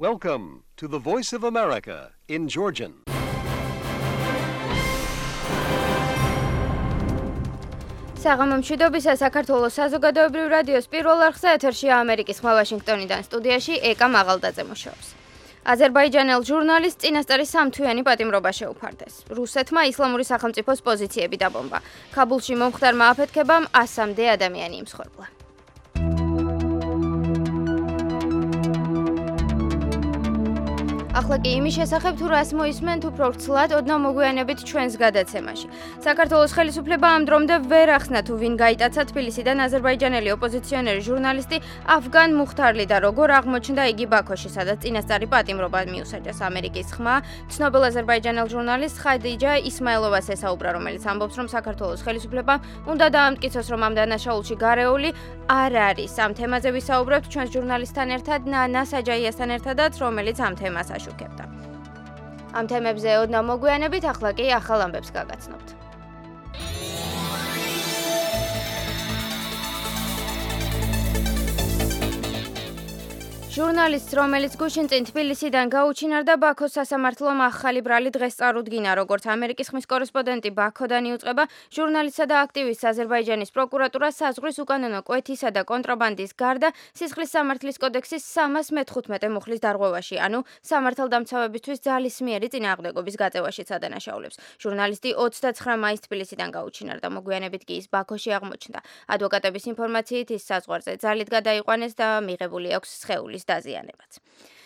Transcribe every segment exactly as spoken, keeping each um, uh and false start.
Welcome to the Voice of America in Georgian. საღამომშვიდობისა საქართველოს საზოგადოებრივ რადიოს პირველ არხზე ეთერშია ამერიკის ხმა ვაშინგტონიდან სტუდიაში ეკა მაღალდაძე მუშაობს. აზერბაიჯანელ ჟურნალისტ წინასწარი სამთვიანი პატიმრობა შეუფარდეს. რუსეთმა ისლამური სახელმწიფოს პოზიციები დაბომბა. ქაბულში მომხდარმა აფეთქებამ ასამდე ადამიანი იმსხვერპლა. ახლა კი იმის შესახებ თუ რას მოისმენთ უფრო ვრცლად ოდნავ მოგვიანებით ჩვენს გადაცემაში. საქართველოს ხელისუფლება ამ დრომდე ვერ ახსნა თუ ვინ გაიტაცა თბილისიდან აზერბაიჯანელი ოპოზიციონერი ჟურნალისტი ავგან მუხთარლი და როგორ აღმოჩნდა იგი ბაქოში, სადაც წინასწარი პატიმრობა მიუსაჯეს. ამერიკის ხმა ცნობილ აზერბაიჯანელ ჟურნალისტ ხადიჯა ისმაილოვას ესაუბრა, რომელიც ამბობს, რომ საქართველოს ხელისუფლებამ უნდა დაამტკიცოს, რომ ამ დანაშაულში გარეული არ არის. ამ თემაზე ვისაუბრებთ ჩვენს ჟურნალისტთან ერთად ნანა საჯაიასთან ერთადაც, რომელიც ამ თემას აშუქებდა. ამ თემებზე ოდნავ მოგვიანებით, ახლა კი ახალ ამბებს გაგაცნობთ. ჟურნალისტს, რომელიც გუშინ წინ თბილისიდან გაუჩინარდა, ბაქოს სასამართლომ ახალი ბრალი დღეს წარუდგინა, როგორც ამერიკის ხმის კორესპონდენტი ბაქოდან იუწყება, ჟურნალისტსა და აქტივისტს აზერბაიჯანის პროკურატურა საზღვრის უკანონო კვეთისა და კონტრაბანდის გარდა სისხლის სამართლის კოდექსის სამას მეთხუთმეტე მუხლის დარღვევაში, ანუ სამართალდამცავებისთვის ძალისმიერი წინააღმდეგობის გაწევაშიც ადანაშაულებს. ჟურნალისტი ოცდაცხრა მაისს თბილისიდან გაუჩინარდა, მოგვიანებით კი ის ბაქოში აღმოჩნდა. ადვოკატების ინფორმაციით ის საზღვარზე ძალით გადაიყვანეს და მიღებული აქვს სხეულის დაზიანებაც.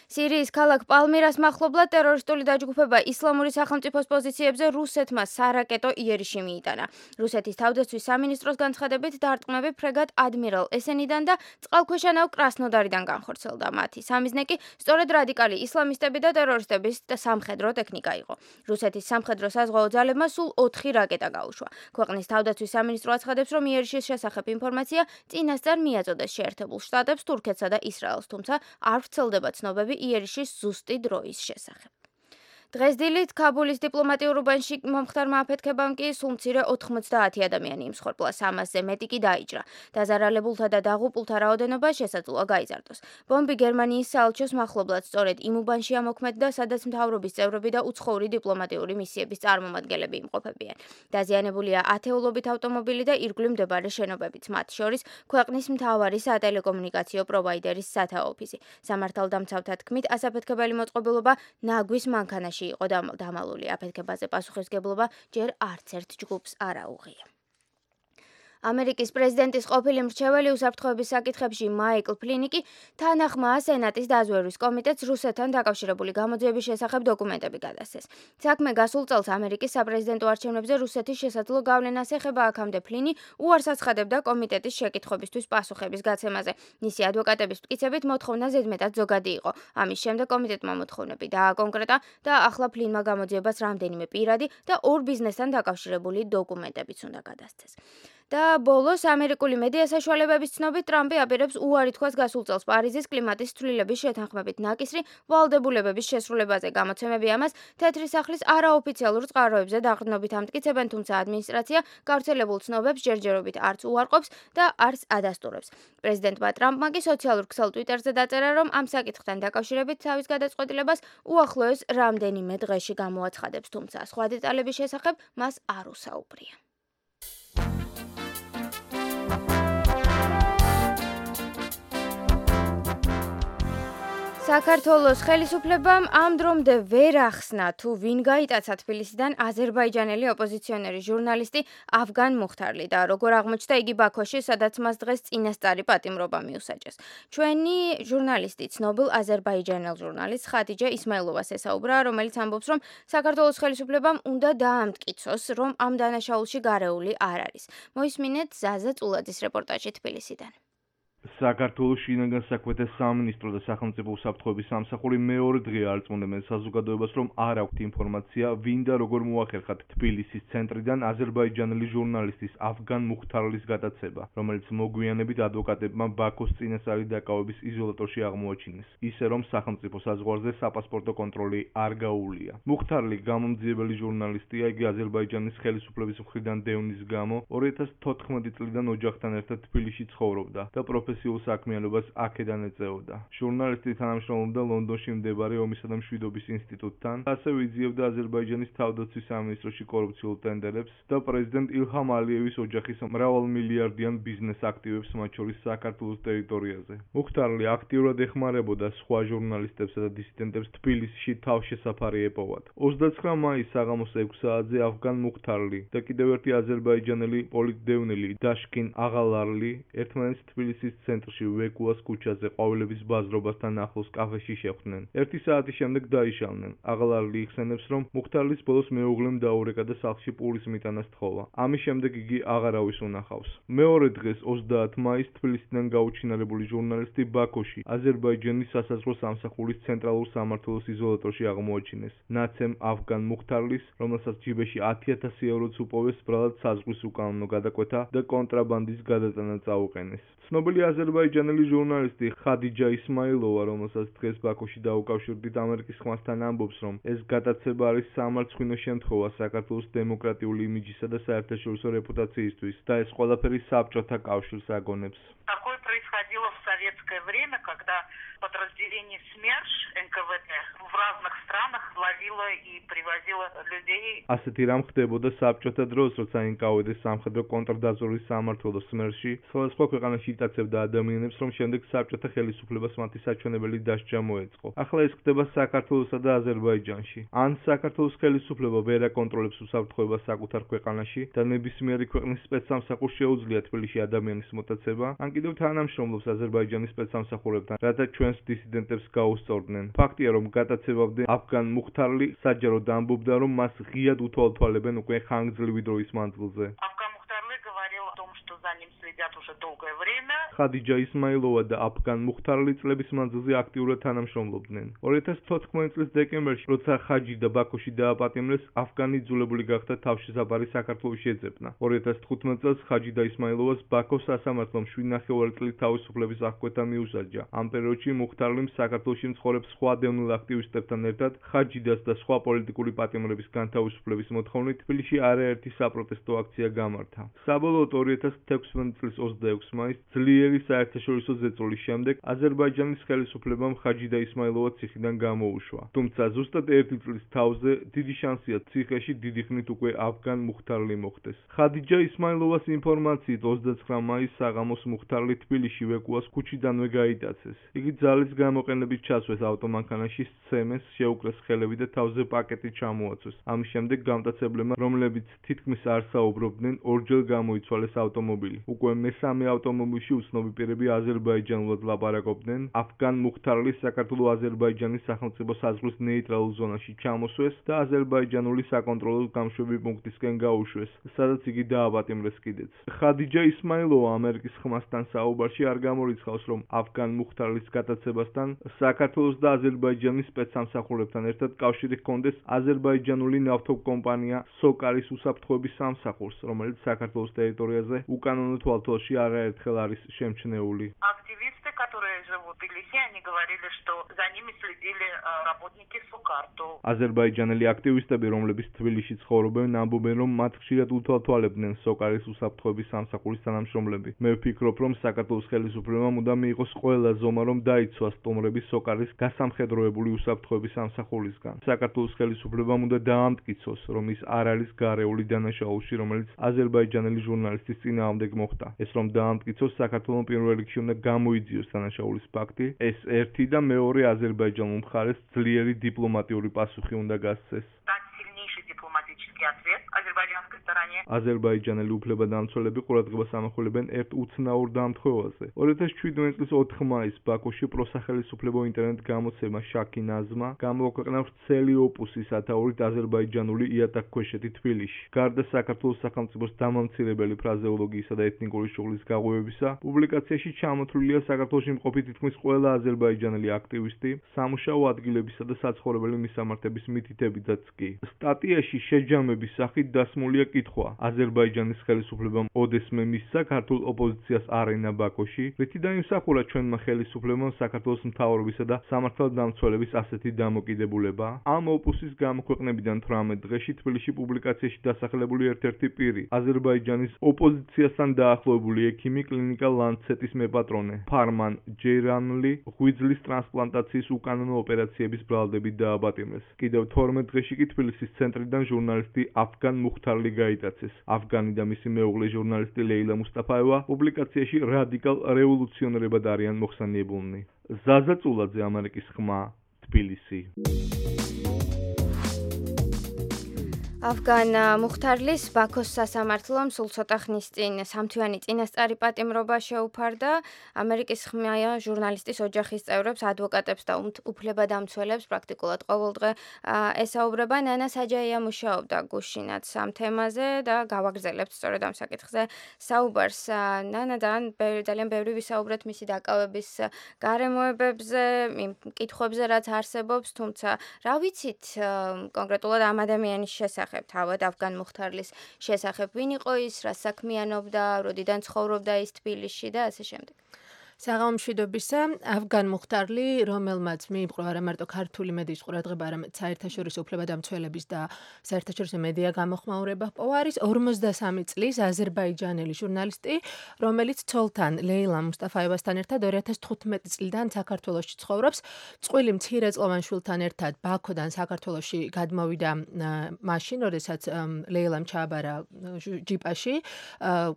სირიის ქალაქ პალმირას მახლობლად ტერორისტული დაჯგუფება ისლამური სახელმწიფოს პოზიციებზე რუსეთმა სარაკეტო იერიში მიიტანა. რუსეთის თავდაცვის სამინისტროს განცხადებით დარტყმები ფრეგატ ადმირალ ესენიდან და წყალქვეშა ნავ კრასნოდარიდან განხორციელდა. მათი სამიზნე კი სწორედ რადიკალი ისლამისტები და ტერორისტების სამხედრო ტექნიკა იყო. რუსეთის სამხედრო საზღვაო ძალებმა სულ ოთხი რაკეტა გაუშვა. ქვეყნის თავდაცვის სამინისტრო აცხადებს, რომ იერიშის შესახებ ინფორმაცია წინასწარ მიაწოდეს შეერთებულ შტატებს, თურქეთსა და ისრაელს, თუმცა არ ვრცელდება ცნობები იერიშის ზუსტი დროის შესახებ. დღეს დილით ქაბულის დიპლომატიურ უბანში მომხდარმა აფეთქებამ კი სულ მცირე ოთხმოცდაათი ადამიანი იმსხვერპლა, სამასზე მეტი კი დაიჭრა. დაზარალებულთა და დაღუპულთა რაოდენობა შესაძლოა გაიზარდოს. ბომბი გერმანიის საელჩოს მახლობლად სწორედ იმ უბანში ამოქმედდა, სადაც მთავრობის წევრები და უცხოური დიპლომატიური მისიების წარმომადგენლები იმყოფებიან. დაზიანებულია ათეულობით ავტომობილი და ირგვლივ მდებარე შენობებიც, მათ შორის ქვეყნის მთავარი სატელეკომუნიკაციო პროვაიდერის სათაო ოფისი. სამართალდამცავთა თქმით, ასაფეთქებელი მოწყობილობა ნაგვის მანქანაში იყო დამალული. აფეთქებაზე პასუხისმგებლობა ჯერ არც ერთ ჯგუფს არ აუღია. ამერიკის პრეზიდენტის ყოფილი მრჩეველი უსაფრთხოების საკითხებში მაიკლ ფლინი კი თანახმაა სენატის დაზვერვის კომიტეტს რუსეთთან დაკავშირებული გამოძიების შესახებ დოკუმენტები გადასცეს. საქმე გასულ წელს ამერიკის საპრეზიდენტო არჩევნებზე რუსეთის შესაძლო გავლენას ეხება, აქამდე ფლინი უარს აცხადებდა კომიტეტის შეკითხვებისთვის პასუხების გაცემაზე. მისი ადვოკატების მტკიცებით მოთხოვნა ზედმეტად ზოგადი იყო. ამის შემდეგ კომიტეტმა მოთხოვნები დააკონკრეტა და ახლა ფლინმა გამოძიებას რამდენიმე პირადი და ორ ბიზნესთან დაკავშირებული დოკუმენტებიც უნდა გადასცეს. და ბოლოს ამერიკული მედია საშუალებების ცნობით ტრამპი აპირებს უარი თქვას გასულ წელს პარიზის კლიმატის ცვლილების შეთანხმებით ნაკისრი ვალდებულებების შესრულებაზე. გამოცემები ამას თეთრი სახლის არაოფიციალურ წყაროებზე დაყრდნობით ამტკიცებენ, თუმცა ადმინისტრაცია გავრცელებულ ცნობებს ჯერჯერობით არც უარყოფს და არც ადასტურებს. პრეზიდენტმა ტრამპმა კი სოციალურ ქსელ ტვიტერზე დაწერა, რომ ამ საკითხთან დაკავშირებით თავის გადაწყვეტილებას უახლოეს რამდენიმე დღეში გამოაცხადებს, თუმცა სხვა დეტალების შესახებ მას არ უსაუბრია. საქართველოს ხელისუფლებამ ამ დრომდე ვერ ახსნა თუ ვინ გაიტაცა თბილისიდან აზერბაიჯანელი ოპოზიციონერი ჟურნალისტი ავგან მუხთარლი და როგორ აღმოჩნდა იგი ბაქოში, სადაც მას დღეს წინასწარი პატიმრობა მიუსაჯეს. ჩვენი ჟურნალისტი ცნობილ აზერბაიჯანელ ჟურნალისტ ხადიჯა ისმაილოვას ესაუბრა, რომელიც ამბობს, რომ საქართველოს ხელისუფლებამ უნდა დაამტკიცოს, რომ ამ დანაშაულში გარეული არ არის. მოისმინეთ ზაზა წულაძის რეპორტაჟი თბილისიდან. საქართველოს შინაგან საქმეთა სამინისტრო და სახელმწიფო უსაფრთხოების სამსახური მეორე დღე არწმუნებენ საზოგადოებას, რომ არ აქვთ ინფორმაცია, ვინ და როგორ მოახერხათ თბილისის ცენტრიდან აზერბაიჯანელი ჟურნალისტის ავგან მუხთარლის გადაცემა, რომელიც მოგვიანებით ადვოკატებმა ბაქოს წინასწარი დაკავების იზოლატორში აღმოაჩინეს, ისე რომ სახელმწიფო საზღვარზე საპასპორტო კონტროლი არ გაუვლია. მუხთარლი გამომძიებელი ჟურნალისტია, იგი აზერბაიჯანის ხელისუფლების მხრიდან დევნის გამო ორი ათას თოთხმეტი წლიდან ოჯახთან ერთად თბილისში ცხოვრობდა და პროფესიით პროფესიულ საქმიანობას აქედან ეწეოდა. ჟურნალისტი თანამშრომლობდა ლონდონში მდებარე ომისა და მშვიდობის ინსტიტუტთან, ასევე იძიებდა აზერბაიჯანის თავდაცვის სამინისტროში კორუფციულ ტენდერებს და პრეზიდენტ ილჰამ ალიევის ოჯახის მრავალმილიარდიან ბიზნეს აქტივებს, მათ შორის საქართველოს ტერიტორიაზე. მუხთარლი აქტიურად ეხმარებოდა სხვა ჟურნალისტებსა და დისიდენტებს თბილისში თავშესაფარი ეპოვათ. ოცდაცხრა მაისს საღამოს ექვს საათზე ავგან მუხთარლი და კიდევ ერთი აზერბაიჯანელი პოლიტდევნილი დაშკინ აღალარლი ერთმანეთს თბილისის ცენტრში ვეკუას ქუჩაზე ყვავილების ბაზრობასთან ახლოს კაფეში შეხვდნენ. ერთი საათის შემდეგ დაიშალნენ. აღალარლი იხსენებს, რომ მუხთარლის ბოლოს მეუღლემ დაურეკა და სახლში პურის მიტანა სთხოვა. ამის შემდეგ იგი აღარავის უნახავს. მეორე დღეს ოცდაათ მაისს თბილისიდან გაუჩინარებული ჟურნალისტი ბაქოში აზერბაიჯანის სასაზღვრო სამსახურის ცენტრალურ სამმართველოს იზოლატორში აღმოაჩინეს. ნაცემ ავგან მუხთარლის, რომელსაც ჯიბეში ათი ათასი ევროც უპოვეს, ბრალად საზღვრის უკანონო გადაკვეთა და კონტრაბანდის გადატანა წაუყენეს. ცნობილი აზერბაიჯანელი ჟურნალისტი ხადიჯა ისმაილოვა, რომელსაც დღეს ბაქოში დაუკავშირდით ამერიკის ხმასთან, ამბობს, რომ ეს გადაცემა არის სამარცხვინო შემთხვევა საქართველოს დემოკრატიული იმიჯისა და საერთაშორისო რეპუტაციისთვის და ეს ყველაფერი საბჭოთა კავშირს აგონებს. Такое происходило в советское время, когда подразделение СМЕРШ эн ка вэ дэ в разных странах ловило и привозило людей. ასეთი რამ ხდებოდა საბჭოთა დროს, როცა ენ ка вэ დე სამხედრო კონტრდაზვერვის სამმართველო სმერში სხვადასხვა ქვეყანაში იტაცებდა ადამიანებს, რომ შემდეგ საბჭოთა ხელისუფლებას მათი საჩვენებელი დასჯა მოეწყო. ახლა ეს ხდება საქართველოსა და აზერბაიჯანში. ან საქართველოს ხელისუფლება ვერ აკონტროლებს უსაფრთხოებას საკუთარ ქვეყანაში და ნებისმიერი ქვეყნის სპეცსამსახურს შეუძლია თბილისში ადამიანის მოტაცება, ან კიდევ თანამშრომლობს აზერბაიჯანის სპეცსამსახურებთან, რათა ჩვენს დისიდენტებს გაუსწორდნენ. ფაქტია, რომ გადაცემამდე ავგან მუხთარლი საჯაროდ ამბობდა, რომ მას ღიად უთვალთვალებენ უკვე ხანგრძლივი დროის მანძილზე. Авган Мухтарлы говорил о том, что за ним следят уже долгое время. ხადიჯა ისმაილოვა და ავგან მუხთარლი წლების მანძილზე აქტიურად თანამშრომლობდნენ. ორი ათას თოთხმეტი წლის დეკემბერში, როცა ხაჯიდა ბაქოში დააპატიმრეს, ავგანი იძულებული გახდა თავშესაფარი საქართველოში ეძებნა. ორი ათას თხუთმეტი წელს ხაჯიდა ისმაილოვას ბაქოს სასამართლომ შვიდ ნახევარი წლის თავისუფლების აღკვეთა მიუსაჯა. ამ პერიოდში მუხთარლიმ საქართველოში მცხოვრებ სხვა დევნილ აქტივისტებთან ერთად ხაჯიდას და სხვა პოლიტიკური პატიმრების განთავისუფლების მოთხოვნით თბილისში არაერთი საპროტესტო აქცია გამართა. საბოლოოდ ორი ათას თექვსმეტი წლის ოცდაექვსი მაისს ძლიერი საერთაშორისო ზეწოლის შემდეგ აზერბაიჯანის ხელისუფლებამ ხაჯიდა ისმაილოვა ციხიდან გამოუშვა. თუმცა ზუსტად ერთი წლის თავზე დიდი შანსია ციხეში დიდი ხნით უკვე ავგან მუხთარლი მოხვდეს. ხადიჯა ისმაილოვას ინფორმაციით ოცდაცხრა მაისს საღამოს მუხთარლი თბილისში ვეკუას ქუჩიდანვე გაიტაცეს. იგი ძალის გამოყენებით ჩასვეს ავტომანქანაში, სცემეს, შეუკრეს ხელები და თავზე პაკეტი ჩამოაცვეს. ამის შემდეგ გამტაცებლებმა, რომლებიც თითქმის არ საუბრობდნენ, ორჯერ გამოიცვალეს ავტომობილი. უკვე მესამე ავტომობილში უცნობი პირები აზერბაიჯანულად ლაპარაკობდნენ. ავგან მუხთარლი საქართველო-აზერბაიჯანის სახელმწიფო საზღვრის ნეიტრალურ ზონაში ჩამოსვეს და აზერბაიჯანული საკონტროლო გამშვები პუნქტისკენ გაუშვეს, სადაც იგი დააპატიმრეს კიდეც. ხადიჯა ისმაილოვა ამერიკის ხმასთან საუბარში არ გამორიცხავს, რომ ავგან მუხთარლის გადაცემასთან საქართველოს და აზერბაიჯანის სპეცსამსახურებთან ერთად კავშირი ჰქონდეს აზერბაიჯანული ნავთობკომპანია სოკარის უსაფრთხოების სამსახურს, რომელიც საქართველოს ტერიტორიაზე უკანონო თვალთვალში არაერთხელ არის შემჩნეული. Активисты, которые живут в Тбилиси, они говорили, что за ними следили э, работники Сокарту. აზერბაიჯანელი აქტივისტები, რომლებიც თბილისში ცხოვრობენ, ამბობენ, რომ მათ ხშირად უთვალთვალებდნენ სოკარის უსაფრთხოების სამსახურის თანამშრომლები. მე ვფიქრობ, რომ საქართველოს ხელისუფლებამ უნდა მიიღოს ყველა ზომა, რომ დაიცვას სტუმრები სოკარის გასამხედროებული უსაფრთხოების სამსახურისგან. საქართველოს ხელისუფლებამ უნდა დაამტკიცოს, რომ ის არ არის გარეული დანაშაულში, რომელიც აზერბაიჯანელი ჟურნალისტის წინააღმდეგ მოხდა. ეს რომ დაამტკიცოს, საქართველოს პირველ რიგში უნდა გამოიძიოს დანაშაულის ფაქტი. ეს ერთი და მეორე აზერბაიჯანულ მხარეს ძლიერი დიპლომატიური პასუხი უნდა გასცეს. Дать сильнейший дипломатический ответ азербайджанской стороне. აზერბაიჯანელი უფლებადამცველები ყურადღებას ამახვილებენ ერთ უცნაურ დამთხოვაზე. ორი ათას შვიდმეტი წლის ოთხ მაისს ბაქოში პროსახელისუფლებო ინტერნეტ გამოცემა შაქი ნაზმა გამოაქვეყნა ვრცელი ოპუსი სათაურით აზერბაიჯანული იატაკქვეშეთი თბილისში. გარდა საქართველოს სახელმწიფოს დამამცირებელი ფრაზეოლოგიისა და ეთნიკური შუღლის გაღვივებისა, პუბლიკაციაში ჩამოთვლილია საქართველოში მყოფი თითქმის ყველა აზერბაიჯანელი აქტივისტი, სამუშაო ადგილებისა და საცხოვრებელი მისამართების მითითებითაც კი. სტატიაში შეჯამების სახით დასმულია კითხვა მოთხვა. აზერბაიჯანის ხელისუფლებამ ოდესმე მისცა ქართულ ოპოზიციას არენა ბაქოში, რითი დაიმსახურა ჩვენმა ხელისუფლებამ საქართველოს მთავრობისა და სამართალდამცველების ასეთი დამოკიდებულება. ამ ოპუსის გამოქვეყნებიდან თვრამეტ დღეში თბილისში პუბლიკაციაში დასახლებული ერთ-ერთი პირი, აზერბაიჯანის ოპოზიციასთან დაახლოებული ექიმი, კლინიკა ლანცეტის მეპატრონე ფარმან ჯეირანლი ღვიძლის ტრანსპლანტაციის უკანონო ოპერაციების ბრალდებით დააბატიმეს. კიდევ თორმეტ დღეში კი თბილისის ცენტრიდან ჟურნალისტი აფგან მუხთარლი გაიტაცეს. აფგანი და მისი მეუღლე ჟურნალისტი ლეილა მუსტაფაევა პუბლიკაციაში რადიკალ რევოლუციონერებად არიან მოხსენიებულნი. ზაზა წულაძე, ამერიკის ხმა, თბილისი. აფგან მუხთარლის ბაქოს სასამართლომ სულ ცოტა ხნის წინ სამთვიანი წინასწარი პატიმრობა შეუფარდა. ამერიკის ხმა ჟურნალისტის ოჯახის წევრებს, ადვოკატებს და უფლებადამცველებს პრაქტიკულად ყოველდღე ესაუბრება. ნანა საჯაია მუშაობდა გუშინაც ამ თემაზე და გავაგრძელებთ სწორედ ამ საკითხზე საუბარს. ნანადან ძალიან ბევრი ვისაუბრეთ მისი დაკავების გარემოებებზე, იმ კითხვებზე, რაც არსებობს, თუმცა რა ვიცით კონკრეტულად ამ ადამიანის შესახებ? თავად აფგან მუხთარლის შესახებ, ვინ იყო ის, რა საქმიანობდა, როდიდან ცხოვრობდა ის თბილისში და ასე შემდეგ. საღამომშვიდობისა, აფგან მუხთარლი, რომელმაც მიიპყრო არა მარტო ქართული მედიის ყურადღება, არამედ საერთაშორისო უფლებადამცველების და საერთაშორისო მედია გამოხმაურება ჰპოვა, არის ორმოცდასამი წლის აზერბაიჯანელი ჟურნალისტი, რომელიც ცოლთან ლეილა მუსტაფაევასთან ერთად ორი ათას თხუთმეტი წლიდან საქართველოში ცხოვრობს. წყვილი მცირეწლოვან შვილთან ერთად ბაქოდან საქართველოში გადმოვიდა მაშინ, როდესაც ლეილამ ჩააბარა ჯიპაში,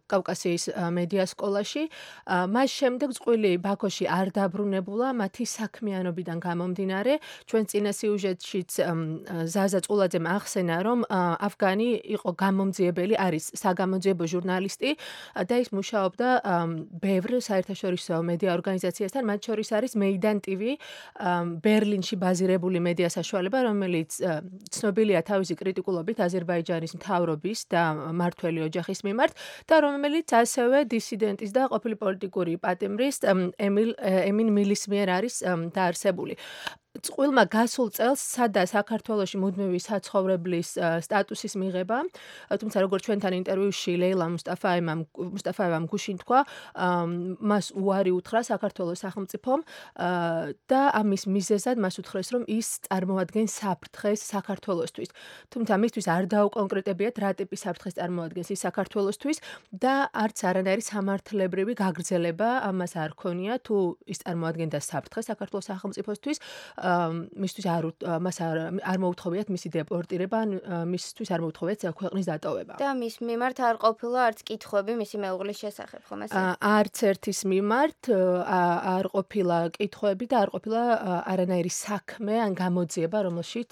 კავკასიის მედია სკოლაში. მას შემდეგ წყვილი ბაქოში არ დაბრუნებულა მათი საქმიანობიდან გამომდინარე. ჩვენ წინა სიუჟეტშიც ზაზა წულაძემ ახსენა, რომ აფგანი იყო გამომძიებელი, არის საგამოძიებო ჟურნალისტი და ის მუშაობდა ბევრ საერთაშორისო მედია ორგანიზაციასთან, მათ შორის არის მეიდან ტივი, ბერლინში ბაზირებული მედია საშუალება, რომელიც ცნობილია თავისი კრიტიკულობით აზერბაიჯანის მთავრობის და მმართველი ოჯახის მიმართ და რომელიც ასევე დისიდენტის და ყოფილი პოლიტიკური პატიმრის ემილ ემინ მილის მიერ არის დაარსებული. წყვილმა გასულ წელს სცადა საქართველოში მუდმივი საცხოვრებლის სტატუსის მიღება, თუმცა როგორც ჩვენთან ინტერვიუში ლეილა მუსტაფაევამ მუსტაფაევამ გუშინ თქვა, მას უარი უთხრა საქართველოს სახელმწიფომ და ამის მიზეზად მას უთხრეს, რომ ის წარმოადგენს საფრთხეს საქართველოსთვის. თუმცა მისთვის არ დაუკონკრეტებიათ, რა ტიპის საფრთხეს წარმოადგენს ის საქართველოსთვის და არც არანაირი სამართლებრივი გაგრძელება ამას არ ქონია, თუ ის წარმოადგენდა საფრთხეს საქართველოს სახელმწიფოსთვის. მისთვის არ მას არ მოუთხოვიათ მისი დეპორტირება, მისთვის არ მოუთხოვიათ ქვეყნის დატოვება. და მის მიმართ არ ყოფილა არც კითხვები მისი მეუღლის შესახებ, ხომ ასე? არც ერთის მიმართ არ ყოფილა კითხვები და არ ყოფილა არანაირი საქმე ან გამოძიება, რომელშიც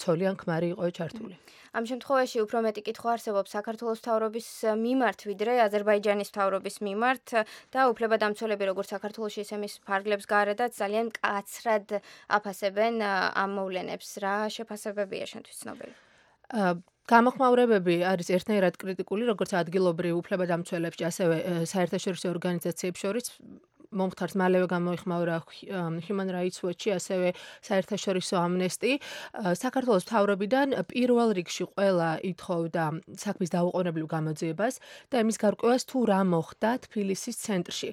ცოლი ან ქმარი იყო ჩართული. ამ შემთხვევაში უფრო მეტი კითხვა არსებობს საქართველოს მთავრობის მიმართ, ვიდრე აზერბაიჯანის მთავრობის მიმართ და უფლებადამცველები როგორც საქართველოში, ისე მის ფარგლებს გარედაც ძალიან მკაცრად აფასებენ ამ მოვლენებს. რა შეფასებებია შენთვის ცნობილი? გამოხმაურებები არის ერთნაირად კრიტიკული, როგორც ადგილობრივ უფლებადამცველებში, ასევე საერთაშორისო ორგანიზაციებს შორის. მომხდარს მალევე გამოიხმაურა Human Rights Watch-ი, ასევე საერთაშორისო ამნესტი. საქართველოს მთავრობიდან პირველ რიგში ყველა ითხოვდა საქმის დაუყოვნებლივ გამოძიებას და იმის გარკვევას, თუ რა მოხდა თბილისის ცენტრში.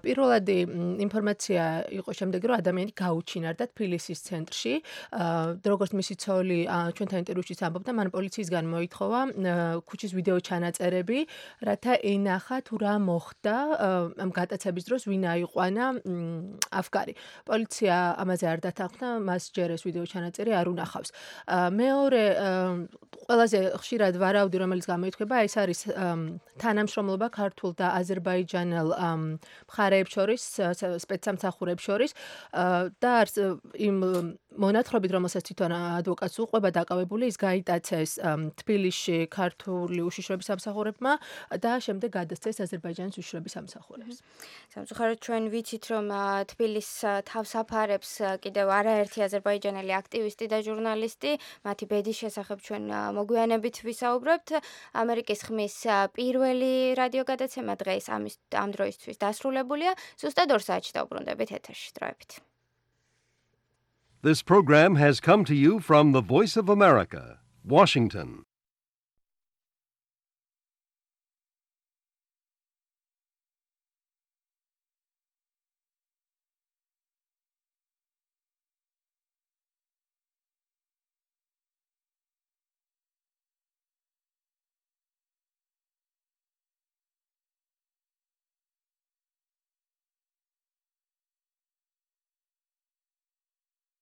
პირველადი ინფორმაცია იყო შემდეგი, რომ ადამიანი გაუჩინარდა თბილისის ცენტრში. როგორც მისი ცოლი ჩვენთან ინტერვიუში ამბობდა, მან პოლიციისგან მოითხოვა ქუჩის ვიდეო ჩანაწერები, რათა ენახა თუ რა მოხდა ამ გატაცების დროს, ვინ აიყვანა აფგარი. პოლიცია ამაზე არ დათანხმდა, მას ჯერ ეს ვიდეო ჩანაწერი არ უნახავს. მეორე ყველაზე ხშირად ვარაუდი, რომელიც გამოითქვება, ეს არის თანამშრომლობა ქართულ და აზერბაიჯანელ მხარეებს შორის, სპეცსამსახურებს შორის და არც იმ მონათხრობით, რომელსაც თვითონ ადვოკატს უყვება დაკავებული, ის გაიტაცეს თბილისში ქართული უშიშროების სამსახურებმა და შემდეგ გადასცეს აზერბაიჯანის უშიშროების სამსახურებს. სამწუხაროდ ჩვენ ვიცით, რომ თბილისს თავს აფარებს კიდევ არაერთი აზერბაიჯანელი აქტივისტი და ჟურნალისტი, მათი ბედის შესახებ ჩვენ მოგვიანებით ვისაუბრებთ. ამერიკის ხმის პირველი რადიოგადაცემა დღეს ამის ამ დროისთვის დასრულებულია. ზუსტად ორ საათში დავბრუნდებით ეთერში. დროებით. This program has come to you from the Voice of America, Washington.